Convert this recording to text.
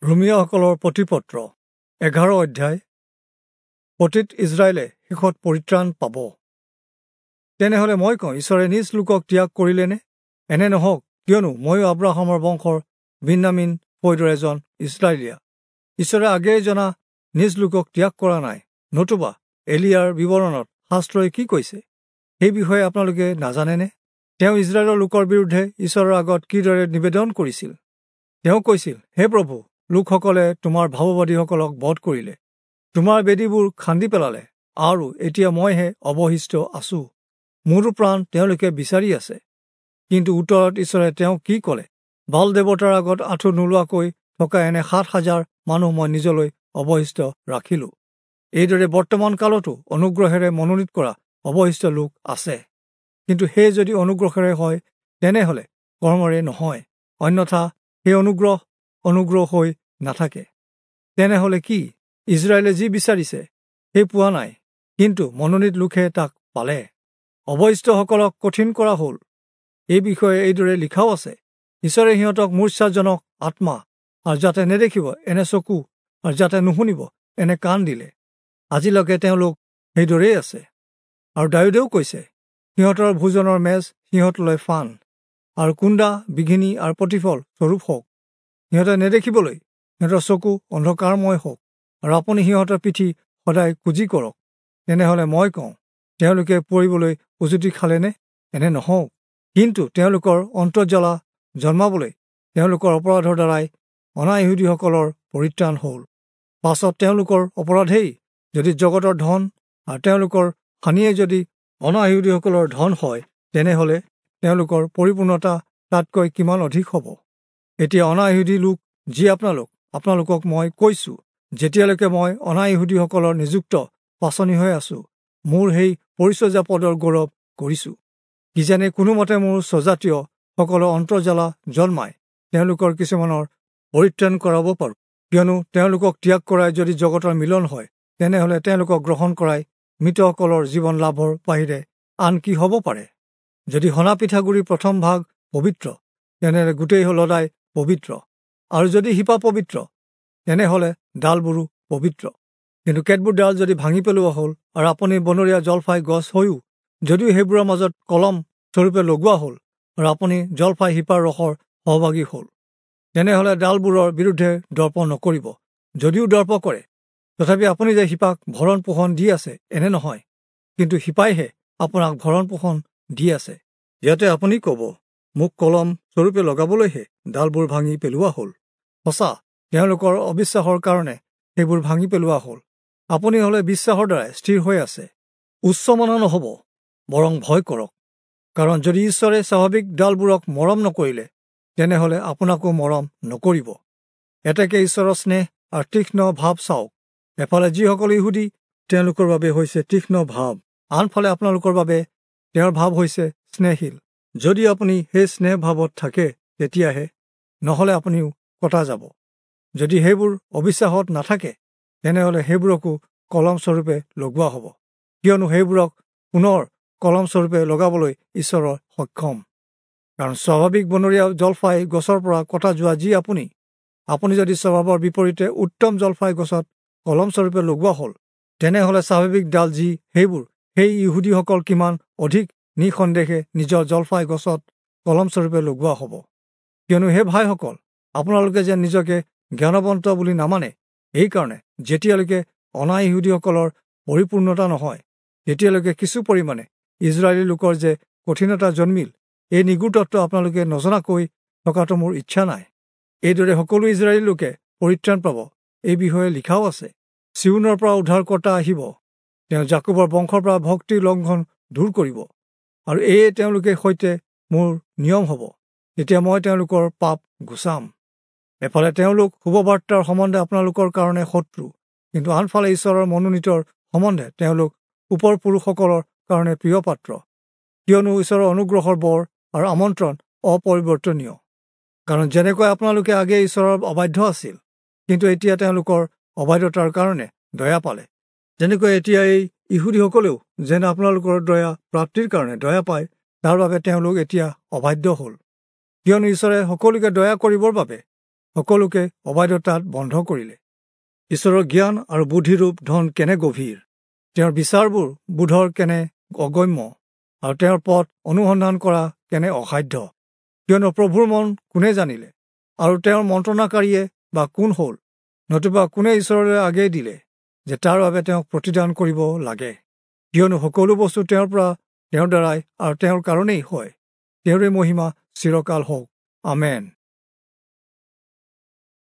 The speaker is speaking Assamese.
ৰোমীয়াসকলৰ প্ৰতিপত্ৰ 11 অধ্যায়। পতিত ইজৰাইলে শেষত পৰিত্ৰাণ পাব। তেনেহলে মই কওঁ, ঈশ্বৰে নিজ লোকক ত্যাগ কৰিলেনে? এনে নহওক, কিয়নো ময়ো আব্ৰাহামৰ বংশৰ বিন্যামীন ফৈদৰ এজন ইস্ৰায়েলীয়া। ঈশ্বৰে আগেয়ে জনা নিজ লোকক ত্যাগ কৰা নাই। নতুবা এলিয়াৰ বিৱৰণত শাস্ত্ৰই কি কৈছে সেই বিষয়ে আপোনালোকে নাজানেনে? তেওঁ ইজৰাইলৰ লোকৰ বিৰুদ্ধে ঈশ্বৰৰ আগত কিদৰে নিবেদন কৰিছিল? তেওঁ কৈছিল, হে প্ৰভু, লোকসকলে তোমাৰ ভাৱবাদীসকলক বধ কৰিলে, তোমাৰ বেদীবোৰ খান্দি পেলালে, আৰু এতিয়া মইহে অৱশিষ্ট আছো, মোৰো প্ৰাণ তেওঁলোকে বিচাৰি আছে। কিন্তু উত্তৰত ঈশ্বৰে তেওঁক কি ক'লে? বাল দেৱতাৰ আগত আঁঠু নোলোৱাকৈ থকা এনে 7000 মানুহ মই নিজলৈ অৱশিষ্ট ৰাখিলো। এইদৰে বৰ্তমান কালতো অনুগ্ৰহেৰে মনোনীত কৰা অৱশিষ্ট লোক আছে। কিন্তু সেই যদি অনুগ্ৰহেৰে হয়, তেনেহলে কৰ্মৰে নহয়, অন্যথা সেই অনুগ্ৰহ অনুগ্ৰহ হৈ নাথাকে। তেনেহলে কি? ইজৰাইলে যি বিচাৰিছে সেই পোৱা নাই, কিন্তু মনোনীত লোকহে তাক পালে। অৱশিষ্টসকলক কঠিন কৰা হ'ল। এই বিষয়ে এইদৰে লিখাও আছে, ঈশ্বৰে সিহঁতক মূৰ্ছাজনক আত্মা আৰু যাতে নেদেখিব এনে চকু আৰু যাতে নুশুনিব এনে কাণ দিলে। আজিলৈকে তেওঁলোক সেইদৰেই আছে। আৰু দায়ূদেও কৈছে, সিহঁতৰ ভোজনৰ মেজ সিহঁতলৈ ফান, আৰু কুন্দা বিঘিনি আৰু প্ৰতিফল স্বৰূপ হওক। সিহঁতে নেদেখিবলৈ সিহঁতৰ চকু অন্ধকাৰময় হওক, আৰু আপুনি সিহঁতৰ পিঠি সদায় কুঁজি কৰক। তেনেহলে মই কওঁ, তেওঁলোকে পৰিবলৈ উজুতি খালেনে? এনে নহওক, কিন্তু তেওঁলোকৰ অন্তৰ্জ্বালা জন্মাবলৈ তেওঁলোকৰ অপৰাধৰ দ্বাৰাই অনাইহুদীসকলৰ পৰিত্ৰাণ হ'ল। পাছত তেওঁলোকৰ অপৰাধেই যদি জগতৰ ধন আৰু তেওঁলোকৰ হানিয়ে যদি অনাইহুদীসকলৰ ধন হয়, তেনেহলে তেওঁলোকৰ পৰিপূৰ্ণতা তাতকৈ কিমান অধিক হ'ব। এতিয়া অনাইহুদী লোক যি আপোনালোকক মই কৈছোঁ, যেতিয়ালৈকে মই অনাইহুদীসকলৰ নিযুক্ত পাচনি হৈ আছোঁ, মোৰ সেই পৰিচৰ্যা পদৰ গৌৰৱ কৰিছোঁ। কিজানি কোনোমতে মোৰ স্বজাতীয়সকলৰ অন্তৰ্জ্বালা জন্মাই তেওঁলোকৰ কিছুমানৰ পৰিত্ৰাণ কৰাব পাৰোঁ। কিয়নো তেওঁলোকক ত্যাগ কৰাই যদি জগতৰ মিলন হয়, তেনেহলে তেওঁলোকক গ্ৰহণ কৰাই মৃতসকলৰ জীৱন লাভৰ বাহিৰে আন কি হ'ব পাৰে? যদি সনা পিঠাগুড়িৰ প্ৰথম ভাগ পবিত্ৰ, তেনেহলে গোটেই লদাই পবিত্ৰ, আৰু যদি শিপা পবিত্ৰ, তেনেহলে ডালবোৰো পবিত্ৰ। কিন্তু কেতবোৰ ডাল যদি ভাঙি পেলোৱা হ'ল, আৰু আপুনি বনৰীয়া জলফাই গছ হৈও যদিও সেইবোৰৰ মাজত কলম স্বৰূপে লগোৱা হ'ল, আৰু আপুনি জলফাই শিপাৰ ৰসৰ সহভাগী হ'ল, তেনেহলে ডালবোৰৰ বিৰুদ্ধে দৰ্প নকৰিব। যদিও দৰ্প কৰে, তথাপি আপুনি যে শিপাক ভৰণ পোষণ দি আছে এনে নহয়, কিন্তু শিপাইহে আপোনাক ভৰণ পোষণ দি আছে। ইয়াতে আপুনি ক'ব, মোক কলম স্বৰূপে লগাবলৈহে ডালবোৰ ভাঙি পেলোৱা হ'ল। সঁচা, তেওঁলোকৰ অবিশ্বাসৰ কাৰণে সেইবোৰ ভাঙি পেলোৱা হ'ল। আপুনি হ'লে বিশ্বাসৰ দ্বাৰাই স্থিৰ হৈ আছে। উচ্চমনা নহ'ব, বৰং ভয় কৰক। কাৰণ যদি ঈশ্বৰে স্বাভাৱিক ডালবোৰক মৰম নকৰিলে, তেনেহলে আপোনাকো মৰম নকৰিব। এতেকে ঈশ্বৰৰ স্নেহ আৰু তীক্ষ্ণ ভাৱ চাওক। এফালে যিসকল ইহুদী, তেওঁলোকৰ বাবে হৈছে তীক্ষ্ণ ভাৱ, আনফালে আপোনালোকৰ বাবে তেওঁৰ ভাৱ হৈছে স্নেহশীল। যদি আপুনি সেই স্নেহ ভাৱত থাকে, তেতিয়াহে, নহ'লে আপুনিও কটা যাব। যদি সেইবোৰ অবিশ্বাসত নাথাকে, তেনেহ'লে সেইবোৰকো কলম স্বৰূপে লগোৱা হ'ব, কিয়নো সেইবোৰক পুনৰ কলম স্বৰূপে লগাবলৈ ঈশ্বৰৰ সক্ষম। কাৰণ স্বাভাৱিক বনৰীয়া জলফাই গছৰ পৰা কটা যোৱা যি আপুনি যদি স্বভাৱৰ বিপৰীতে উত্তম জলফাই গছত কলম স্বৰূপে লগোৱা হ'ল, তেনেহ'লে স্বাভাৱিক ডাল যি সেইবোৰ, সেই ইহুদীসকল কিমান অধিক নিঃসন্দেহে নিজৰ জলফাই গছত কলম স্বৰূপে লগোৱা হ'ব। কিয়নো হে ভাইসকল, আপোনালোকে যেন নিজকে জ্ঞানৱন্ত বুলি নামানে, এইকাৰণে যেতিয়ালৈকে অনাইহুদীসকলৰ পৰিপূৰ্ণতা নহয়, তেতিয়ালৈকে কিছু পৰিমাণে ইজৰাইলী লোকৰ যে কঠিনতা জন্মিল, এই নিগূঢ় তত্ত্ব আপোনালোকে নজনাকৈ থকাটো মোৰ ইচ্ছা নাই। এইদৰে সকলো ইজৰাইলী লোকে পৰিত্ৰাণ পাব, এই বিষয়ে লিখাও আছে, চিউনৰ পৰা উদ্ধাৰকৰ্তা আহিব, তেওঁ যাকোবৰ বংশৰ পৰা ভক্তি লংঘন দূৰ কৰিব, আৰু এয়ে তেওঁলোকে সৈতে মোৰ নিয়ম হ'ব, তেতিয়া মই তেওঁলোকৰ পাপ গুচাম। এফালে তেওঁলোক শুভবাৰ্তাৰ সম্বন্ধে আপোনালোকৰ কাৰণে শত্ৰু, কিন্তু আনফালে ঈশ্বৰৰ মনোনীতৰ সম্বন্ধে তেওঁলোক ওপৰ পুৰুষসকলৰ কাৰণে প্ৰিয় পাত্ৰ। কিয়নো ঈশ্বৰৰ অনুগ্ৰহৰ বৰ আৰু আমন্ত্ৰণ অপৰিৱৰ্তনীয়। কাৰণ যেনেকৈ আপোনালোকে আগে ঈশ্বৰৰ অবাধ্য আছিল, কিন্তু এতিয়া তেওঁলোকৰ অবাধ্যতাৰ কাৰণে দয়া পালে, তেনেকৈ এতিয়া এই ইহুদীসকলেও যেন আপোনালোকৰ দয়া প্ৰাপ্তিৰ কাৰণে দয়া পায়, তাৰ বাবে তেওঁলোক এতিয়া অবাধ্য হ'ল। কিয়নো ঈশ্বৰে সকলোকে দয়া কৰিবৰ বাবে সকলোকে অবাধ্যতাত বন্ধ কৰিলে। ঈশ্বৰৰ জ্ঞান আৰু বুদ্ধিৰূপ ধন কেনে গভীৰ, তেওঁৰ বিচাৰবোৰ বোধৰ কেনে অগম্য, আৰু তেওঁৰ পথ অনুসন্ধান কৰা কেনে অসাধ্য। কিয়নো প্ৰভুৰ মন কোনে জানিলে, আৰু তেওঁৰ মন্ত্ৰণাকাৰীয়ে বা কোন হ'ল, নতুবা কোনে ঈশ্বৰলৈ আগেয়ে দিলে যে তাৰ বাবে তেওঁক প্ৰতিদান কৰিব লাগে। কিয়নো সকলো বস্তু তেওঁৰ পৰা, তেওঁৰ দ্বাৰাই আৰু তেওঁৰ কাৰণেই হয়। তেওঁৰে মহিমা চিৰকাল হওক। আমেন।